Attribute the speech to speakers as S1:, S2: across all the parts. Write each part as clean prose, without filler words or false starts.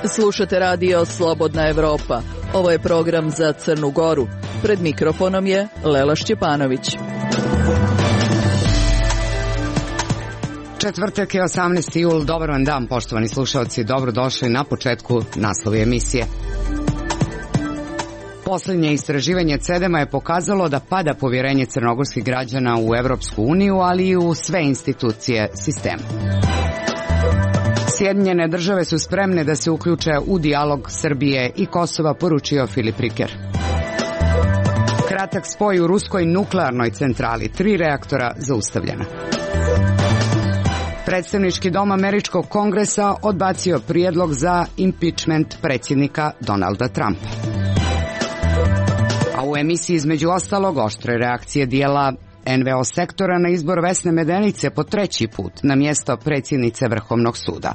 S1: Slušate radio Slobodna Evropa. Ovo je program za Crnu Goru. Pred mikrofonom je Lela Šćepanović.
S2: Četvrtak je 18. jul. Dobar vam dan, poštovani slušalci. Dobrodošli na početku naslovi emisije. Posljednje istraživanje CEDEM-a je pokazalo da pada povjerenje crnogorskih građana u Evropsku uniju, ali i u sve institucije sistema. Sjedinjene države su spremne da se uključe u dijalog Srbije i Kosova, poručio Filip Riker. Kratak spoj u ruskoj nuklearnoj centrali, 3 reaktora zaustavljena. Predstavnički dom Američkog kongresa odbacio prijedlog za impeachment predsjednika Donalda Trumpa. A u emisiji između ostalog oštre reakcije dijela NVO sektora na izbor Vesne Medenice po 3. put na mjesto predsjednice Vrhovnog suda.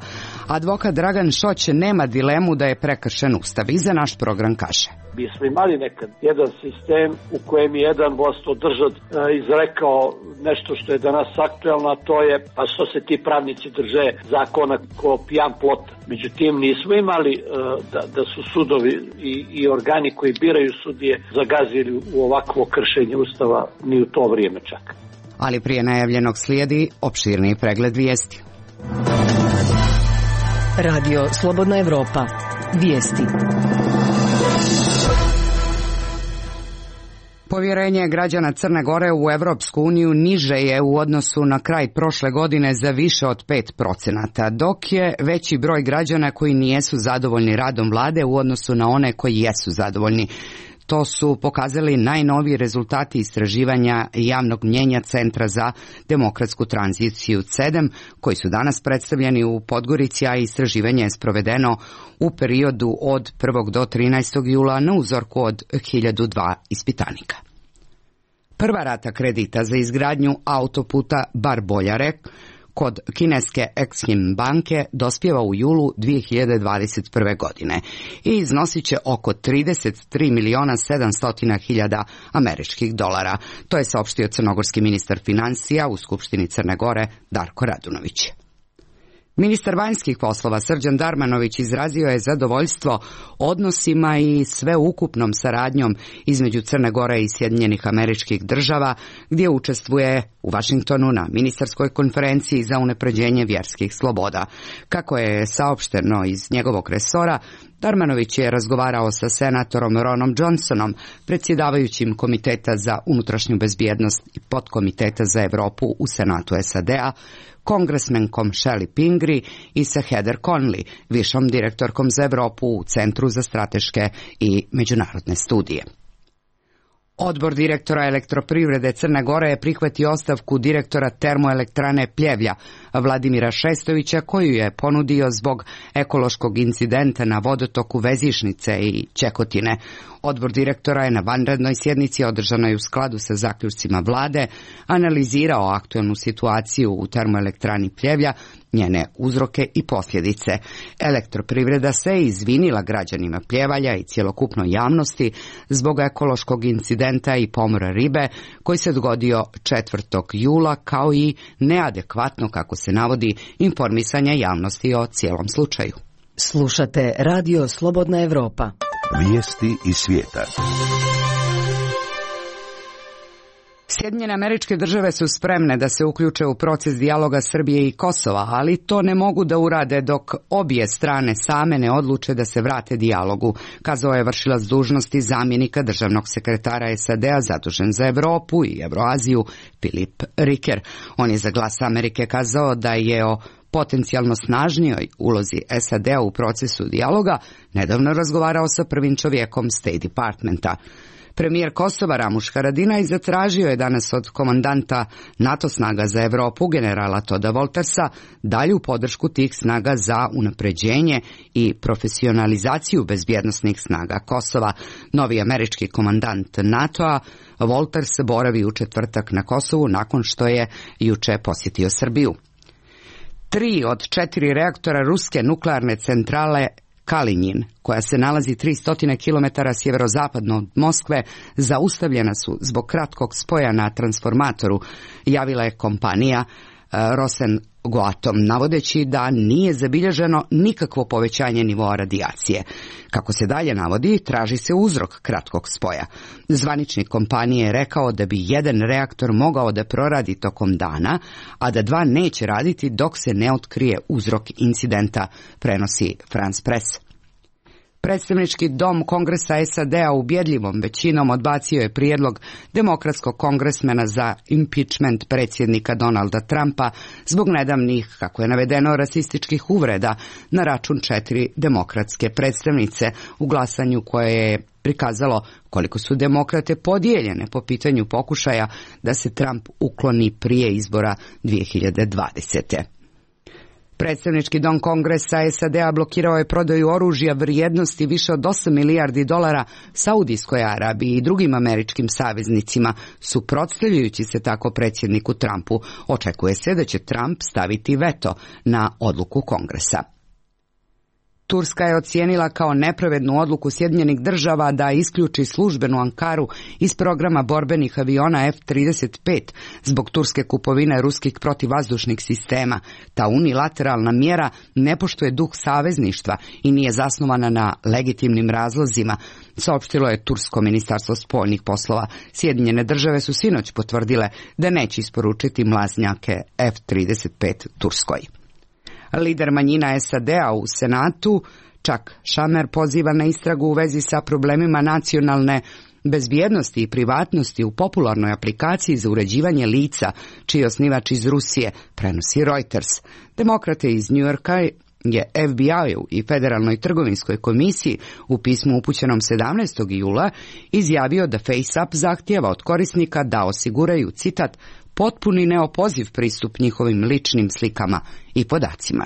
S2: Advokat Dragan Šoć nema dilemu da je prekršen Ustav i za naš program kaže.
S3: Mi smo imali nekad jedan sistem u kojem je jedan vlastodržac izrekao nešto što je danas aktuelno, a to je pa što se ti pravnici drže zakona ko pijan plota. Međutim, nismo imali da su sudovi i organi koji biraju sudije zagazili u ovakvo kršenje Ustava ni u to vrijeme čak.
S2: Ali prije najavljenog slijedi opširniji pregled vijesti.
S1: Radio Slobodna Evropa. Vijesti.
S2: Povjerenje građana Crne Gore u Evropsku uniju niže je u odnosu na kraj prošle godine za više od 5%, dok je veći broj građana koji nijesu zadovoljni radom vlade u odnosu na one koji jesu zadovoljni. To su pokazali najnoviji rezultati istraživanja javnog mnjenja Centra za demokratsku tranziciju CEDEM, koji su danas predstavljeni u Podgorici, a istraživanje je sprovedeno u periodu od 1. do 13. jula na uzorku od 1002 ispitanika. Prva rata kredita za izgradnju autoputa Bar-Boljare kod kineske Exim banke dospijeva u julu 2021. godine i iznosit će oko 33.700.000 američkih dolara. To je saopštio crnogorski ministar financija u Skupštini Crne Gore Darko Radunović. Ministar vanjskih poslova Srđan Darmanović izrazio je zadovoljstvo odnosima i sveukupnom saradnjom između Crne Gore i Sjedinjenih Američkih Država, gdje učestvuje u Vašingtonu na ministarskoj konferenciji za unapređenje vjerskih sloboda. Kako je saopšteno iz njegovog resora, Darmanović je razgovarao sa senatorom Ronom Johnsonom, predsjedavajućim Komiteta za unutrašnju bezbjednost i podkomiteta za Europu u Senatu SAD-a, kongresmenkom Shelley Pingree i sa Heather Conley, višom direktorkom za Europu u Centru za strateške i međunarodne studije. Odbor direktora Elektroprivrede Crne Gore je prihvatio ostavku direktora termoelektrane Pljevlja, Vladimira Šestovića, koju je ponudio zbog ekološkog incidenta na vodotoku Vezišnice i Čekotine. Odbor direktora je na vanrednoj sjednici održanoj u skladu sa zaključcima vlade analizirao aktualnu situaciju u termoelektrani Pljevlja, njene uzroke i posljedice. Elektroprivreda se izvinila građanima Pljevalja i cjelokupnoj javnosti zbog ekološkog incidenta i pomora ribe koji se dogodio 4. jula, kao i neadekvatno, kako se navodi, informisanja javnosti o cijelom slučaju.
S1: Slušate radio Slobodna Evropa.
S4: Vijesti iz svijeta.
S2: Sjedinjene Američke Države su spremne da se uključe u proces dijaloga Srbije i Kosova, ali to ne mogu da urade dok obje strane same ne odluče da se vrate dijalogu, kazao je vršilac dužnosti zamjenika državnog sekretara SAD-a zadužen za Europu i Euroaziju Filip Riker. On je za Glas Amerike kazao da je o potencijalno snažnijoj ulozi SAD-a u procesu dijaloga nedavno razgovarao sa prvim čovjekom State Departmenta. Premijer Kosova Ramuš Haradinaj zatražio je danas od komandanta NATO snaga za Europu, generala Toda Woltersa, dalju podršku tih snaga za unapređenje i profesionalizaciju bezbjednosnih snaga Kosova. Novi američki komandant NATO-a Wolters boravi u četvrtak na Kosovu nakon što je juče posjetio Srbiju. 3 od 4 reaktora ruske nuklearne centrale Kalinjin, koja se nalazi 300 km sjeverozapadno od Moskve, zaustavljena su zbog kratkog spoja na transformatoru, javila je kompanija Goatom, navodeći da nije zabilježeno nikakvo povećanje nivoa radijacije. Kako se dalje navodi, traži se uzrok kratkog spoja. Zvaničnik kompanije je rekao da bi jedan reaktor mogao da proradi tokom dana, a da dva neće raditi dok se ne otkrije uzrok incidenta, prenosi France Press. Predstavnički dom Kongresa SAD-a ubjedljivom većinom odbacio je prijedlog demokratskog kongresmena za impeachment predsjednika Donalda Trumpa zbog nedavnih, kako je navedeno, rasističkih uvreda na račun 4 demokratske predstavnice u glasanju koje je prikazalo koliko su demokrate podijeljene po pitanju pokušaja da se Trump ukloni prije izbora 2020. Predstavnički dom Kongresa SAD-a blokirao je prodaju oružja vrijednosti više od 8 milijardi dolara Saudijskoj Arabiji i drugim američkim saveznicima, suprotstavljajući se tako predsjedniku Trumpu. Očekuje se da će Trump staviti veto na odluku Kongresa. Turska je ocijenila kao nepravednu odluku Sjedinjenih Država da isključi službenu Ankaru iz programa borbenih aviona F-35 zbog turske kupovine ruskih protivvazdušnih sistema. Ta unilateralna mjera ne poštuje duh savezništva i nije zasnovana na legitimnim razlozima, saopštilo je tursko ministarstvo spoljnih poslova. Sjedinjene Države su sinoć potvrdile da neće isporučiti mlaznjake F-35 Turskoj. Lider manjina SAD-a u Senatu, Chuck Schumer, poziva na istragu u vezi sa problemima nacionalne bezbjednosti i privatnosti u popularnoj aplikaciji za uređivanje lica, čiji je osnivač iz Rusije, prenosi Reuters. Demokrate iz New Yorka je FBI-u i Federalnoj trgovinskoj komisiji u pismu upućenom 17. jula izjavio da FaceApp zahtijeva od korisnika da osiguraju, citat, potpuni neopoziv pristup njihovim ličnim slikama i podacima.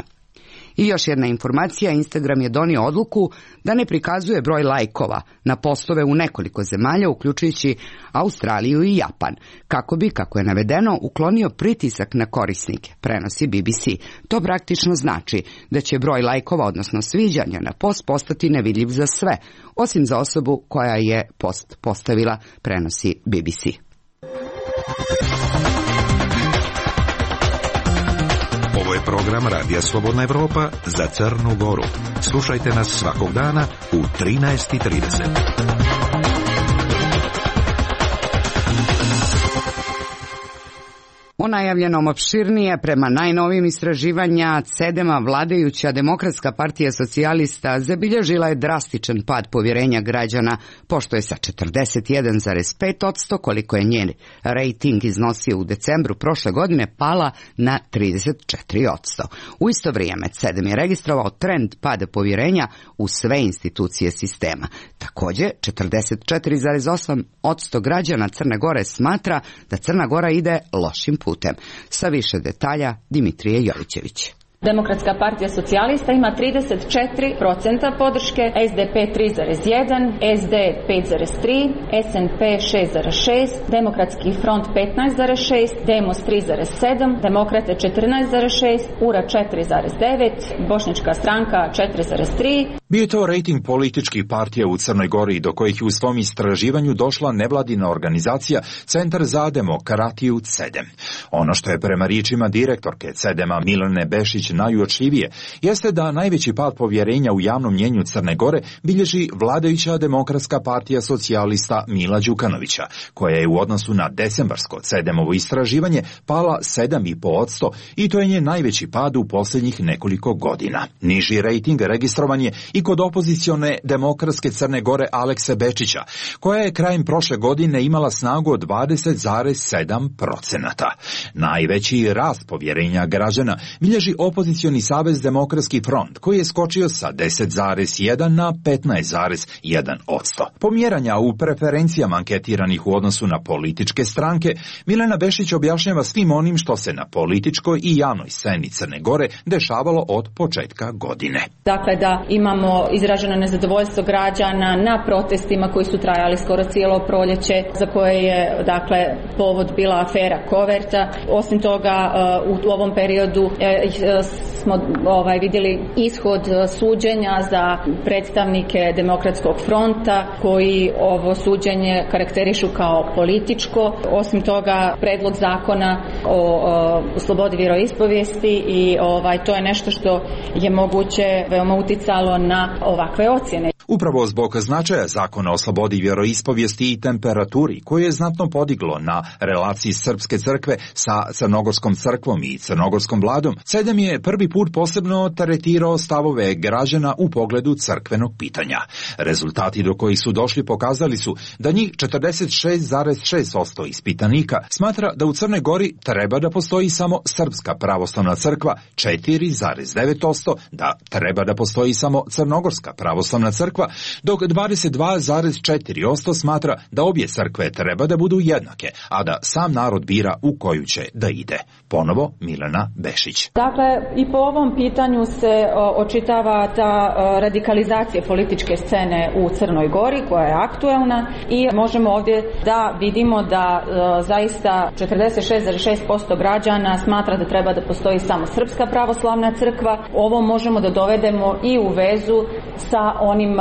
S2: I još jedna informacija, Instagram je donio odluku da ne prikazuje broj lajkova na postove u nekoliko zemalja, uključujući Australiju i Japan, kako bi, kako je navedeno, uklonio pritisak na korisnike, prenosi BBC. To praktično znači da će broj lajkova, odnosno sviđanja na post, postati nevidljiv za sve, osim za osobu koja je post postavila, prenosi BBC.
S4: Ovo je program Radija Slobodna Evropa za Crnu Goru. Slušajte nas svakog dana u 13:30.
S2: O najavljenom opširnije, prema najnovijim istraživanja CEDEM-a, vladajuća Demokratska partija socijalista zabilježila je drastičan pad povjerenja građana, pošto je sa 41,5%, koliko je njen rejting iznosio u decembru prošle godine, pala na 34%. U isto vrijeme CEDEM je registrovao trend pada povjerenja u sve institucije sistema. Također, 44,8% građana Crne Gore smatra da Crna Gora ide lošim putem. Sa više detalja Dimitrije Jovićević.
S5: Demokratska partija socijalista ima 34% podrške, SDP 3,1, SD 5,3, SNP 6,6, Demokratski front 15,6, Demos 3,7, Demokrate 14,6, URA 4,9, Bošnjačka stranka 4,3.
S6: Bio je to rejting političkih partija u Crnoj Gori, do kojih je u svom istraživanju došla nevladina organizacija Centar za demokratiju CEDEM. Ono što je prema riječima direktorke CEDEM-a Milene Bešić najuočljivije jeste da najveći pad povjerenja u javnom mnjenju Crne Gore bilježi vladajuća Demokratska partija socijalista Mila Đukanovića, koja je u odnosu na decembarsko CEDEM-ovo istraživanje pala 7,5% i to je njen najveći pad u posljednjih nekoliko godina. Niži rejting registrovan je i kod opozicione Demokratske Crne Gore Alekse Bečića, koja je krajem prošle godine imala snagu od 20,7%. Najveći rast povjerenja građana bilježi opozicioni Savez Demokratski front, koji je skočio sa 10,1 na 15,1%. Pomjeranja u preferencijama anketiranih u odnosu na političke stranke, Milena Bešić objašnjava svim onim što se na političkoj i javnoj sceni Crne Gore dešavalo od početka godine.
S5: Dakle, da imamo izraženo nezadovoljstvo građana na protestima koji su trajali skoro cijelo proljeće, za koje je, dakle, povod bila afera Koverta. Osim toga, u ovom periodu smo vidjeli ishod suđenja za predstavnike Demokratskog fronta, koji ovo suđenje karakterišu kao političko. Osim toga, predlog zakona o slobodi vjeroispovijesti i to je nešto što je moguće veoma uticalo na ovakve ocjene.
S6: Upravo zbog značaja zakona o slobodi vjeroispovijesti i temperaturi, koje je znatno podiglo na relaciji Srpske crkve sa Crnogorskom crkvom i Crnogorskom vladom, CEDEM je prvi put posebno tretirao stavove građana u pogledu crkvenog pitanja. Rezultati do kojih su došli pokazali su da njih 46,6% ispitanika smatra da u Crnoj Gori treba da postoji samo Srpska pravoslavna crkva, 4,9% da treba da postoji samo Crnogorska pravoslavna crkva, dok 22,4% smatra da obje crkve treba da budu jednake, a da sam narod bira u koju će da ide. Ponovo Milena Bešić.
S5: Dakle, i po ovom pitanju se očitava ta radikalizacija političke scene u Crnoj Gori koja je aktuelna i možemo ovdje da vidimo da zaista 46,6% građana smatra da treba da postoji samo Srpska pravoslavna crkva. Ovo možemo da dovedemo i u vezu sa onim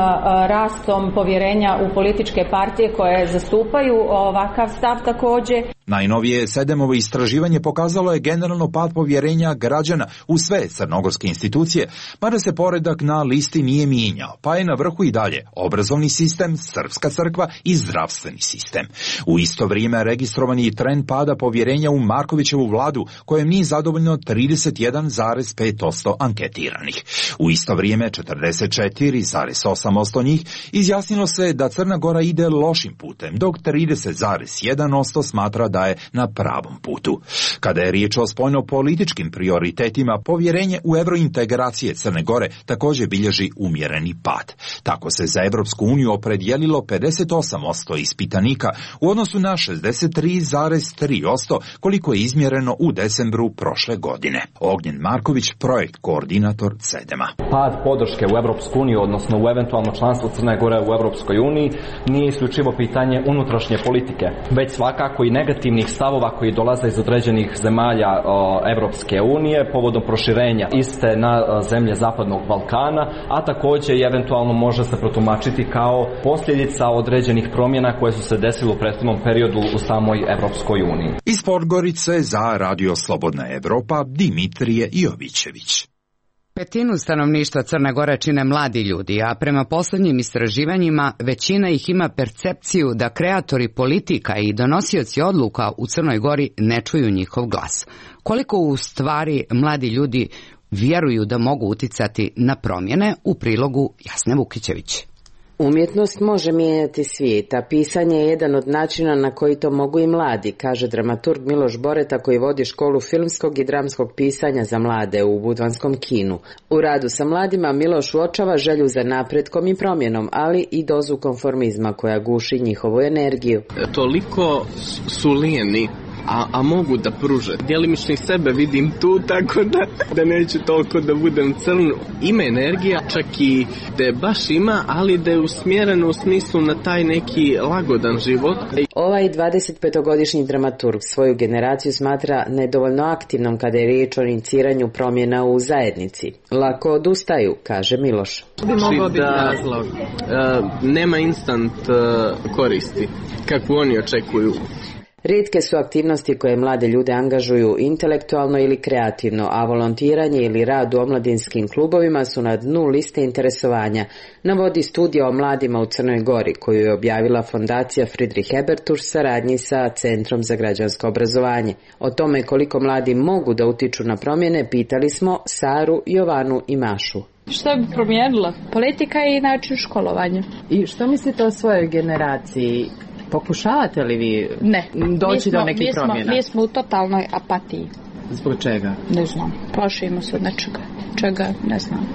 S5: rastom povjerenja u političke partije koje zastupaju ovakav stav također.
S6: Najnovije CEDEM-ovo istraživanje pokazalo je generalno pad povjerenja građana u sve crnogorske institucije, mada se poredak na listi nije mijenjao, pa je na vrhu i dalje obrazovni sistem, Srpska crkva i zdravstveni sistem. U isto vrijeme registrovan je trend pada povjerenja u Markovićevu vladu, kojem nije zadovoljno 31,5% anketiranih. U isto vrijeme 44,8% njih izjasnilo se da Crna Gora ide lošim putem, dok 30,1% smatra da je na pravom putu. Kada je riječ o spoljno-političkim prioritetima, povjerenje u evrointegracije Crne Gore također bilježi umjereni pad. Tako se za Evropsku uniju opredijelilo 58% ispitanika u odnosu na 63,3% koliko je izmjereno u decembru prošle godine. Ognjen Marković, projekt koordinator CEDEM-a.
S7: Pad podrške u Evropsku uniju, odnosno u eventualno članstvo Crne Gore u Evropskoj uniji, nije isključivo pitanje unutrašnje politike, već svakako i negativnih stavova koji dolaze iz određenih zemalja Evropske unije povodom proširenja iste na zemlje Zapadnog Balkana, a također i eventualno može se protumačiti kao posljedica određenih promjena koje su se desile u prethodnom periodu u samoj Evropskoj uniji.
S6: Iz Podgorice za Radio Slobodna Evropa Dimitrije Jovićević.
S2: Petinu stanovništva Crne Gore čine mladi ljudi, a prema posljednjim istraživanjima većina ih ima percepciju da kreatori politika i donosioci odluka u Crnoj Gori ne čuju njihov glas. Koliko u stvari mladi ljudi vjeruju da mogu uticati na promjene, u prilogu Jasne Vukićević.
S8: Umjetnost može mijenjati svijet, a pisanje je jedan od načina na koji to mogu i mladi, kaže dramaturg Miloš Boreta koji vodi školu filmskog i dramskog pisanja za mlade u Budvanskom kinu. U radu sa mladima Miloš uočava želju za napretkom i promjenom, ali i dozu konformizma koja guši njihovu energiju.
S9: Toliko su lijeni, a mogu da pruže. Djelimično sebe vidim tu, tako da neću toliko da budem crn. Ima energija, čak i da je baš ima, ali da je usmjereno u smislu na taj neki lagodan život.
S8: Ovaj 25-godišnji dramaturg svoju generaciju smatra nedovoljno aktivnom kada je riječ o iniciranju promjena u zajednici. Lako odustaju, kaže Miloš.
S9: Bi mogao biti razlog. Nema instant koristi, kako oni očekuju.
S8: Rijetke su aktivnosti koje mlade ljude angažuju intelektualno ili kreativno, a volontiranje ili rad u omladinskim klubovima su na dnu liste interesovanja, navodi studija o mladima u Crnoj Gori koju je objavila fondacija Friedrich Ebert u saradnji sa Centrom za građansko obrazovanje. O tome koliko mladi mogu da utiču na promjene pitali smo Saru, Jovanu i Mašu.
S10: Što bi promijenilo? Politika i način školovanja.
S11: I što mislite o svojoj generaciji? Pokušavate li vi doći do nekih promjena?
S10: Mi smo u totalnoj apatiji.
S11: Zbog čega?
S10: Ne znam. Plašimo se od nečega. Čega? Ne znam.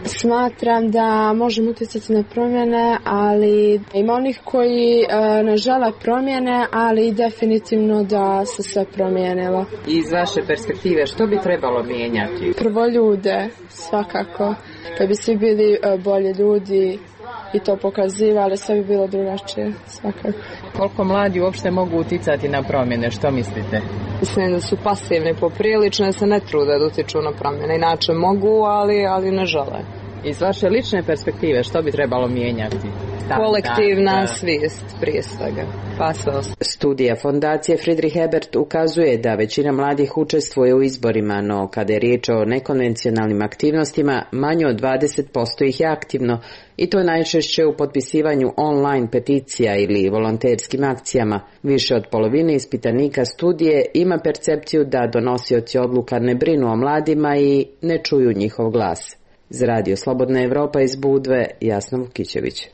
S12: Smatram da možemo utjecati na promjene, ali ima onih koji ne žele promjene, ali definitivno da se sve promijenilo.
S11: Iz vaše perspektive, što bi trebalo mijenjati?
S12: Prvo ljude, svakako. Kad bi svi bili bolji ljudi i to pokazivali, sve bi bilo drugačije, svakako.
S11: Koliko mladi uopšte mogu uticati na promjene, što mislite?
S13: Mislim da su pasivni poprilično, da se ne trude da utiču na promjene. Inače mogu, ali ne žele.
S11: Iz vaše lične perspektive, što bi trebalo mijenjati?
S13: kolektivna svijest prije svega, pa sve ostalo.
S8: Studija fondacije Friedrich Ebert ukazuje da većina mladih učestvuje u izborima, no kada je riječ o nekonvencionalnim aktivnostima, manje od 20% ih je aktivno, i to najčešće u potpisivanju online peticija ili volonterskim akcijama. Više od polovine ispitanika studije ima percepciju da donosioci odluka ne brinu o mladima i ne čuju njihov glas. Za Radio Slobodna Evropa iz Budve, Jasna Vukićević.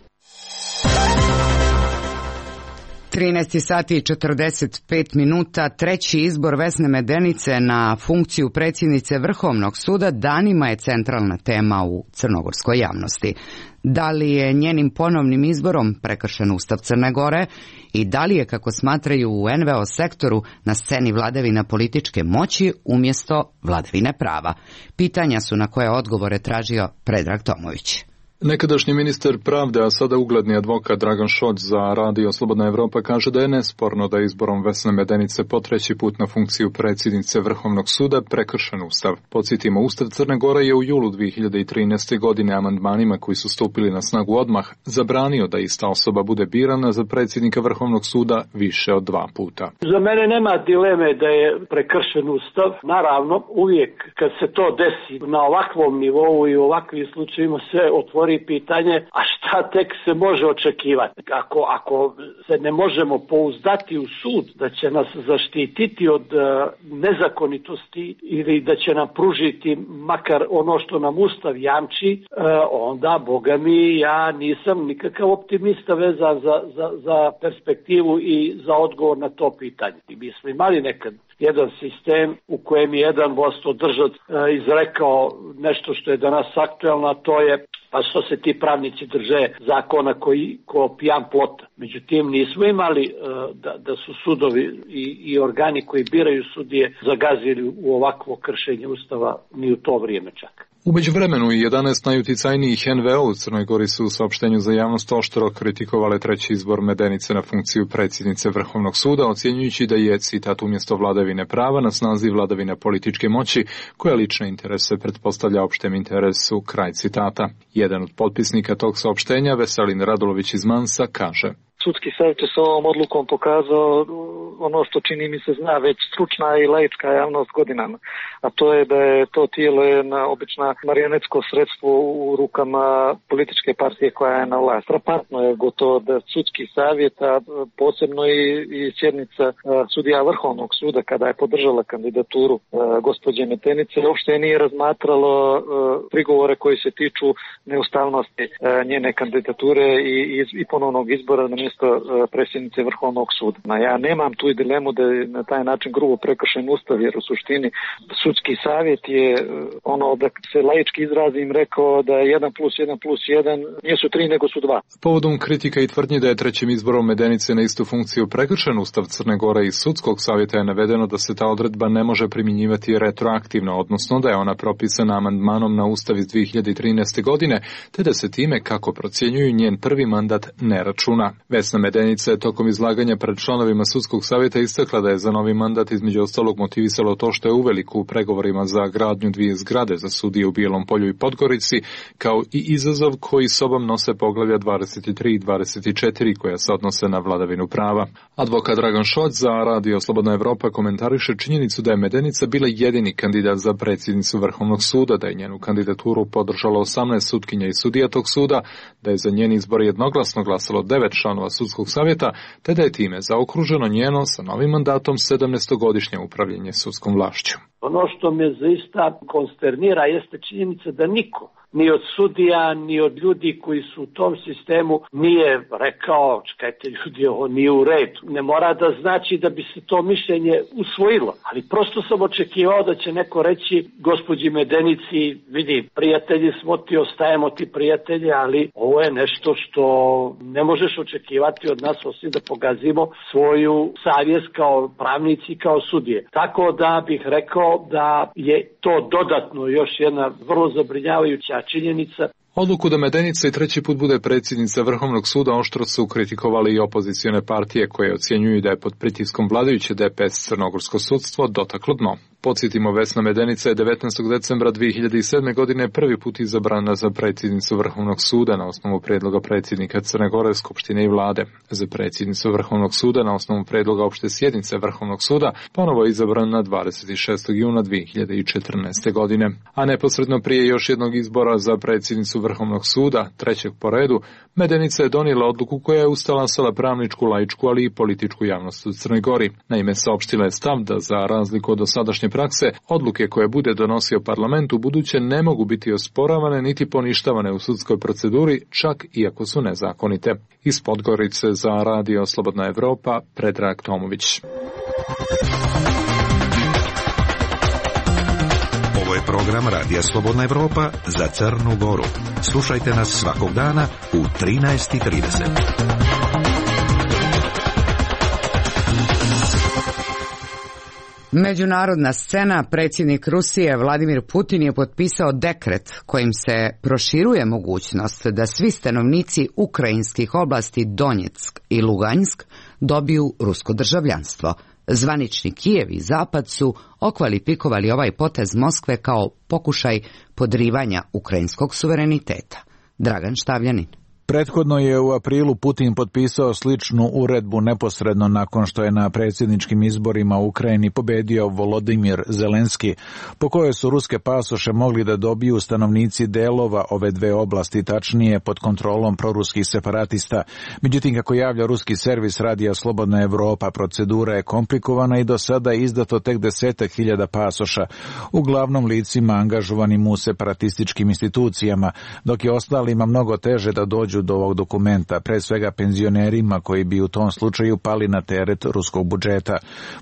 S2: 13 sati i 45 minuta, treći izbor Vesne Medenice na funkciju predsjednice Vrhovnog suda danima je centralna tema u crnogorskoj javnosti. Da li je njenim ponovnim izborom prekršen Ustav Crne Gore i da li je, kako smatraju u NVO sektoru, na sceni vladavina političke moći umjesto vladavine prava? Pitanja su na koje odgovore tražio Predrag Tomović.
S14: Nekadašnji ministar pravde, a sada ugledni advokat Dragan Šolj za Radio Slobodna Evropa kaže da je nesporno da je izborom Vesne Medenice po treći put na funkciju predsjednice Vrhovnog suda prekršen Ustav. Podsjetimo, Ustav Crne Gore je u julu 2013. godine amandmanima koji su stupili na snagu odmah zabranio da ista osoba bude birana za predsjednika Vrhovnog suda više od 2 puta.
S3: Za mene nema dileme da je prekršen Ustav. Naravno, uvijek kad se to desi na ovakvom nivou i u ovakvim slučajima se otvori pitanje, a šta tek se može očekivati? Ako se ne možemo pouzdati u sud da će nas zaštititi od nezakonitosti ili da će nam pružiti makar ono što nam Ustav jamči, onda, Boga mi, ja nisam nikakav optimista vezan za perspektivu i za odgovor na to pitanje. Mi smo imali nekad jedan sistem u kojem je jedan vlastodržac izrekao nešto što je danas aktuelno, a to je pa što se ti pravnici drže zakona ko pijan plota. Međutim, nismo imali da su sudovi i organi koji biraju sudije zagazili u ovakvo kršenje Ustava ni u to vrijeme čak.
S14: U međuvremenu i 11 najuticajnijih NVO u Crnoj Gori su u saopštenju za javnost oštro kritikovale treći izbor Medenice na funkciju predsjednice Vrhovnog suda, ocjenjujući da je, citat, umjesto vladavine prava na snazi vladavine političke moći, koja lične interese pretpostavlja opštem interesu, kraj citata. Jedan od potpisnika tog saopštenja, Veselin Radulović iz Mansa, kaže:
S15: Sudski savjet je s ovom odlukom pokazao ono što čini mi se zna već stručna i laička javnost godinama, a to je da je to tijelo jedna obična marionetsko sredstvo u rukama političke partije koja je na vlast. Frapantno je gotovo da sudski savjet, a posebno i sjednica sudija Vrhovnog suda kada je podržala kandidaturu gospođe Medenice, uopšte nije razmatralo prigovore koji se tiču neustavnosti njene kandidature i ponovnog izbora na mjesto predsjednice Vrhovnog suda. Ja nemam tu i dilemu da je na taj način grubo prekršen Ustav, jer u suštini sudski savjet je ono, da se laički izrazim, rekao da je 1+1+1 nisu 3 nego su 2.
S14: Povodom kritika i tvrdnji da je trećim izborom Medenice na istu funkciju prekršen Ustav Crne Gore iz sudskog savjeta je navedeno da se ta odredba ne može primjenjivati retroaktivno, odnosno da je ona propisana amandmanom na Ustav iz 2013. godine, te da se time, kako procjenjuju, njen prvi mandat ne računa. Vesna Medenica je tokom izlaganja pred članovima sudskog savjeta istakla da je za novi mandat između ostalog motivisalo to što je uveliko u pregovorima za gradnju 2 zgrade za sudije u Bijelom Polju i Podgorici, kao i izazov koji sobom nose poglavlja 23 i 24 koja se odnose na vladavinu prava. Advokat Dragan Šolj za Radio Slobodna Evropa komentariše činjenicu da je Medenica bila jedini kandidat za predsjednicu Vrhovnog suda, da je njenu kandidaturu podržalo 18 sutkinja i sudija tog suda, da je za njen izbor jednoglasno glasalo 9 članova sudskog savjeta, te da je time zaokruženo njeno sa novim mandatom 17-godišnje upravljanje sudskom vlašću.
S3: Ono što me zaista konsternira jeste činjenica da niko, ni od sudija, ni od ljudi koji su u tom sistemu, nije rekao, čekajte ljudi, ovo nije u redu. Ne mora da znači da bi se to mišljenje usvojilo, ali prosto sam očekivao da će neko reći gospođi Medenici, vidi, prijatelji smo ti, ostajemo ti prijatelji, ali ovo je nešto što ne možeš očekivati od nas osim da pogazimo svoju savjest kao pravnici, kao sudije. Tako da bih rekao da je to dodatno još jedna vrlo zabrinjavajuća činjenica.
S14: Odluku da Medenica i treći put bude predsjednica Vrhovnog suda oštro su kritikovali i opozicione partije koje ocjenjuju da je pod pritiskom vladajuće DPS crnogorsko sudstvo dotaklo dno. Podsjetimo, Vesna Medenica je 19. decembra 2007. godine prvi put izabrana za predsjednicu Vrhovnog suda na osnovu predloga predsjednika Crne Gore, Skupštine i vlade. Za predsjednicu Vrhovnog suda na osnovu predloga opšte sjednice Vrhovnog suda ponovo je izabrana 26. juna 2014. godine. A neposredno prije još jednog izbora za predsjednicu Vrhovnog suda, trećeg po redu, Medenica je donijela odluku koja je ustalasala pravničku, laičku, ali i političku javnost u Crnoj Gori. Naime, saopštila je stav da za razliku od dosadašnje prakse, odluke koje bude donosio parlament u buduće ne mogu biti osporavane niti poništavane u sudskoj proceduri, čak i ako su nezakonite. Iz Podgorice za Radio Slobodna Evropa, Predrag Tomović.
S4: Ovo je program Radija Slobodna Evropa za Crnu Goru. Slušajte nas svakog dana u 13:30.
S2: Međunarodna scena. Predsjednik Rusije Vladimir Putin je potpisao dekret kojim se proširuje mogućnost da svi stanovnici ukrajinskih oblasti Donjeck i Lugansk dobiju rusko državljanstvo. Zvanični Kijev i Zapad su okvalifikovali ovaj potez Moskve kao pokušaj podrivanja ukrajinskog suvereniteta. Dragan Štavljanin.
S16: Prethodno je u aprilu Putin potpisao sličnu uredbu neposredno nakon što je na predsjedničkim izborima u Ukrajini pobedio Volodimir Zelenski, po kojoj su ruske pasoše mogli da dobiju stanovnici delova ove dve oblasti, tačnije pod kontrolom proruskih separatista. Međutim, kako javlja ruski servis Radija Slobodna Evropa, procedura je komplikovana i do sada je izdato tek 10.000 pasoša, uglavnom licima angažovanim u separatističkim institucijama, dok je ostalima mnogo teže da dođu do ovog dokumenta, pre svega penzionerima koji bi u tom slučaju pali na teret ruskog budžeta.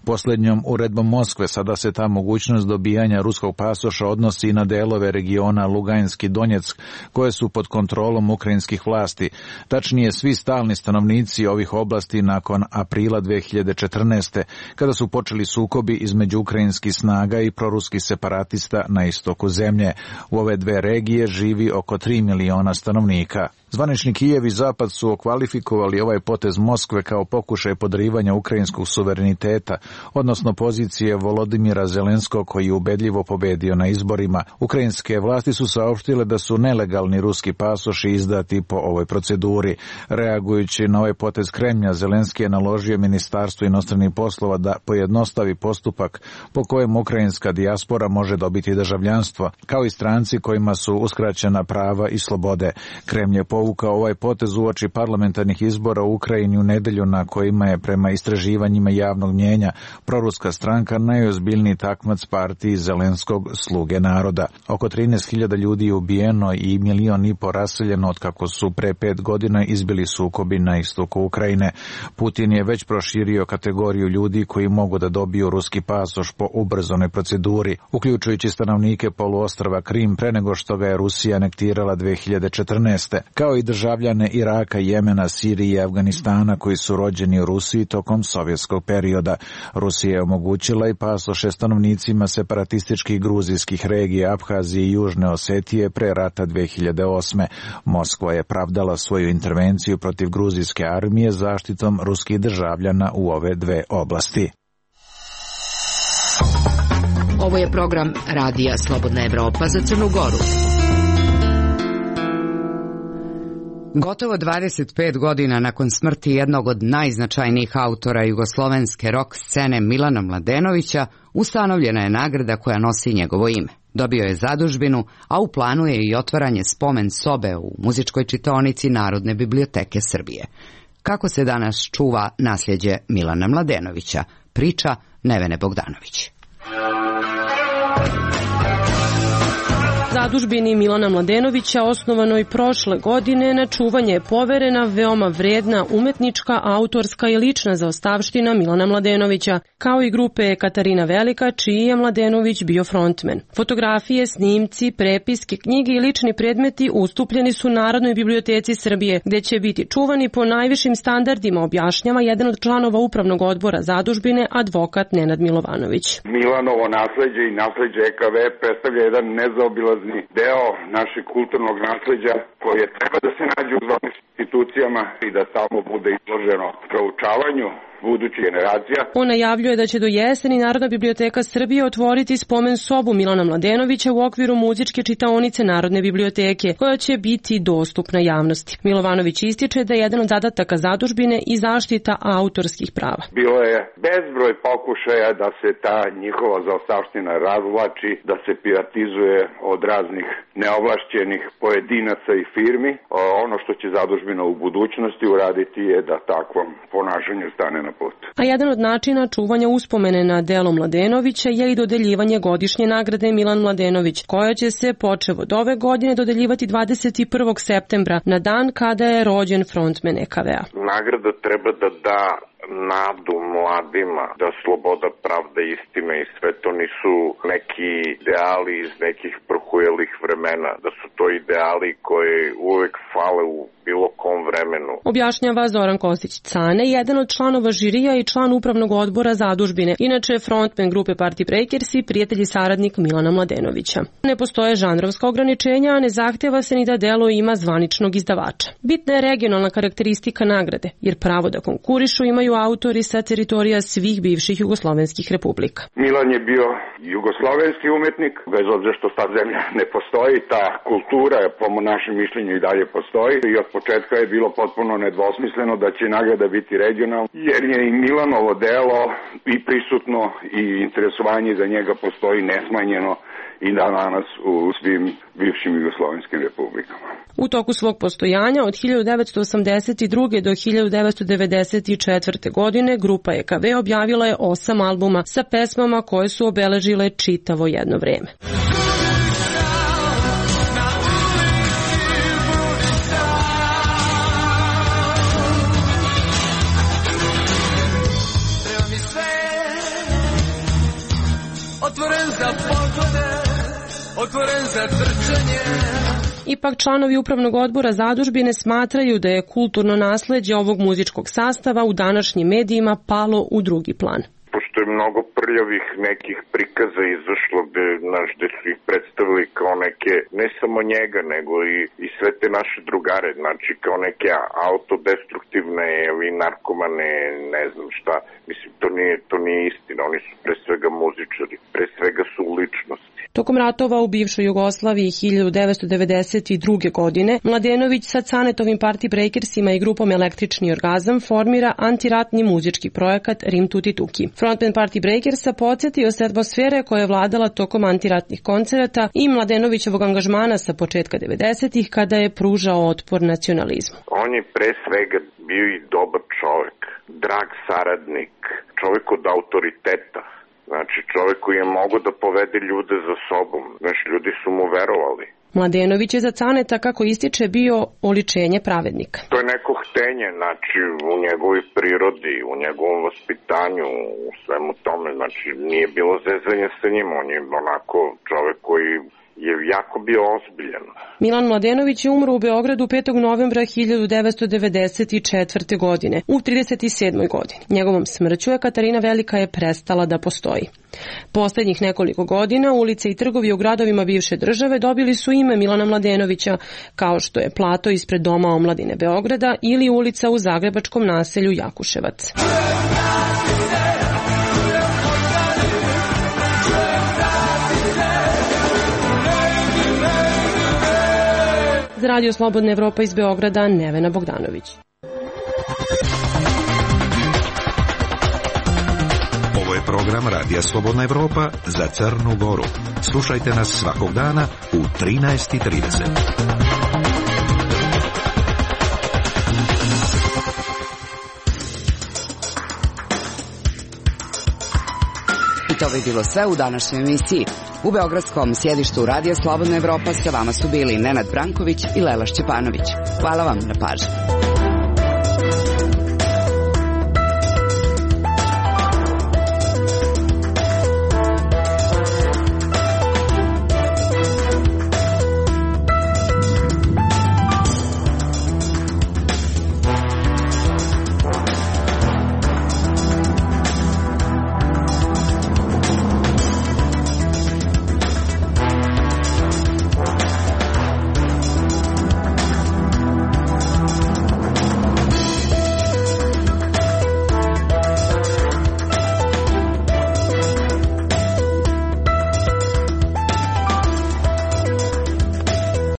S16: Posljednjom uredbom Moskve sada se ta mogućnost dobijanja ruskog pasoša odnosi i na delove regiona Lugansk i Donjeck koje su pod kontrolom ukrajinskih vlasti. Tačnije, svi stalni stanovnici ovih oblasti nakon aprila 2014. kada su počeli sukobi između ukrajinskih snaga i proruskih separatista na istoku zemlje. U ove dve regije živi oko 3 miliona stanovnika. Zvanični Kijev i Zapad su okvalifikovali ovaj potez Moskve kao pokušaj podrivanja ukrajinskog suvereniteta, odnosno pozicije Volodimira Zelenskog koji je ubedljivo pobedio na izborima. Ukrajinske vlasti su saopštile da su nelegalni ruski pasoši izdati po ovoj proceduri. Reagujući na ovaj potez Kremlja, Zelenski je naložio Ministarstvu inostranih poslova da pojednostavi postupak po kojem ukrajinska dijaspora može dobiti državljanstvo, kao i stranci kojima su uskraćena prava i slobode. Kremlj je povukao ovaj potez uoči parlamentarnih izbora u Ukrajini u nedelju na kojima je prema istraživanjima javnog mnjenja proruska stranka najozbiljniji takmac partiji Zelenskog Sluge naroda. Oko 13.000 ljudi je ubijeno i 1,5 miliona raseljeno od kako su pre 5 godina izbili sukobi na istoku Ukrajine. Putin je već proširio kategoriju ljudi koji mogu da dobiju ruski pasoš po ubrzanoj proceduri, uključujući stanovnike poluostrva Krim pre nego što ga je Rusija anektirala 2014. kao i državljane Iraka, Jemena, Sirije i Afganistana koji su rođeni u Rusiji tokom sovjetskog perioda. Rusija je omogućila i pasoše stanovnicima separatističkih gruzijskih regija Abhazije i Južne Osetije pre rata 2008. Moskva je pravdala svoju intervenciju protiv gruzijske armije zaštitom ruskih državljana u ove dve oblasti.
S2: Ovo je program Radija Slobodna Evropa za Crnu Goru. Gotovo 25 godina nakon smrti jednog od najznačajnijih autora jugoslovenske rock scene Milana Mladenovića, ustanovljena je nagrada koja nosi njegovo ime. Dobio je zadužbinu, a u planu je i otvaranje spomen sobe u muzičkoj čitaonici Narodne biblioteke Srbije. Kako se danas čuva nasljeđe Milana Mladenovića, priča Nevene Bogdanović.
S17: Zadužbini Milana Mladenovića, osnovanoj prošle godine, na čuvanje je poverena veoma vredna umetnička, autorska i lična zaostavština Milana Mladenovića, kao i grupe Katarina Velika, čiji je Mladenović bio frontmen. Fotografije, snimci, prepiske, knjige i lični predmeti ustupljeni su Narodnoj biblioteci Srbije, gde će biti čuvani po najvišim standardima, objašnjava jedan od članova upravnog odbora zadužbine, advokat Nenad Milovanović.
S18: Milanovo nasleđe i nasleđe EKV predstavlja jedan nezaobilazan deo našeg kulturnog nasleđa koje treba da se nađe u zvaničnim institucijama i da stalno bude izloženo proučavanju. budućih generacija.
S17: On najavljuje da će do jeseni Narodna biblioteka Srbije otvoriti spomen sobu Milana Mladenovića u okviru muzičke čitaonice Narodne biblioteke, koja će biti dostupna javnosti. Milovanović ističe da je jedan od zadataka zadužbine i zaštita autorskih prava.
S18: Bilo je bezbroj pokušaja da se ta njihova zaostavština razvlači, da se piratizuje od raznih neovlašćenih pojedinaca i firmi. Ono što će zadužbina u budućnosti uraditi je da takvom ponašanju stane na put.
S17: A jedan od načina čuvanja uspomene na delo Mladenovića je i dodeljivanje godišnje nagrade Milan Mladenović, koja će se počev od ove godine dodeljivati 21. septembra, na dan kada je rođen frontmen EKV-a.
S19: Nagrada treba da da nadu mladima, da sloboda, pravda, istina i sve to nisu neki ideali iz nekih prohujelih vremena, da su to ideali koji uvek fale u bilo kom vremenu.
S17: Objašnjava Zoran Kostić-Cane, jedan od članova žirija i član upravnog odbora zadužbine, inače frontmen grupe Party Breakers i prijatelj i saradnik Milana Mladenovića. Ne postoje žanrovska ograničenja, a ne zahteva se ni da delo ima zvaničnog izdavača. Bitna je regionalna karakteristika nagrade, jer pravo da konkurišu imaju autori sa teritorija svih bivših jugoslovenskih republika.
S18: Milan je bio jugoslovenski umetnik, bez obzira što ta zemlja ne postoji, ta kultura po našem mišljenju i dalje postoji i od početka je bilo potpuno nedvosmisleno da će nagrada biti regionalna, jer je i Milanovo delo i prisutno i interesovanje za njega postoji nesmanjeno i danas u svim bivšim jugoslovenskim republikama.
S17: U toku svog postojanja od 1982. do 1994. godine grupa EKV objavila je 8 albuma sa pesmama koje su obeležile čitavo jedno vreme. Ipak članovi upravnog odbora zadužbine smatraju da je kulturno nasleđe ovog muzičkog sastava u današnjim medijima palo u drugi plan.
S19: Pošto je mnogo prljavih nekih prikaza izašlo gde su ih predstavili kao neke, ne samo njega, nego i sve te naše drugare, znači kao neke autodestruktivne ili narkomane, ne znam šta. Mislim, to nije istina, oni su pre svega muzičari, pre svega su ličnosti.
S17: Tokom ratova u bivšoj Jugoslaviji 1992. godine Mladenović sa Canetovim Party Breakersima i grupom Električni orgazam formira antiratni muzički projekat Rim Tuti Tuki. Frontman Party Breakersa podsjetio se atmosfere koja je vladala tokom antiratnih koncerata i Mladenovićevog angažmana sa početka 90-ih kada je pružao otpor nacionalizmu.
S19: On je pre svega bio i dobar čovek, drag saradnik, čovek od autoriteta. Znači, čovjek koji je mogao da povede ljude za sobom. Znači, ljudi su mu verovali.
S17: Mladenović je za Caneta, kako ističe, bio oličenje pravednika.
S19: To je neko htenje, znači, u njegovoj prirodi, u njegovom vaspitanju, u svemu tome. Znači, nije bilo zezanja sa njim, on je onako čovjek koji je jako bio ozbiljan.
S17: Milan Mladenović je umro u Beogradu 5. novembra 1994. godine, u 37. godini. Njegovom smrću Katarina Velika je prestala da postoji. Poslednjih nekoliko godina ulice i trgovi u gradovima bivše države dobili su ime Milana Mladenovića, kao što je plato ispred Doma omladine Beograda ili ulica u zagrebačkom naselju Jakuševac. Za Radio Slobodna Evropa iz Beograda, Nevena Bogdanović.
S4: Ovo je program Radija Slobodna Evropa za Crnu Goru. Slušajte nas svakog dana u 13:30.
S2: I to bi bilo sve u današnjoj emisiji. U beogradskom sjedištu Radija Slobodna Evropa sa vama su bili Nenad Branković i Lela Šćepanović. Hvala vam na pažnji.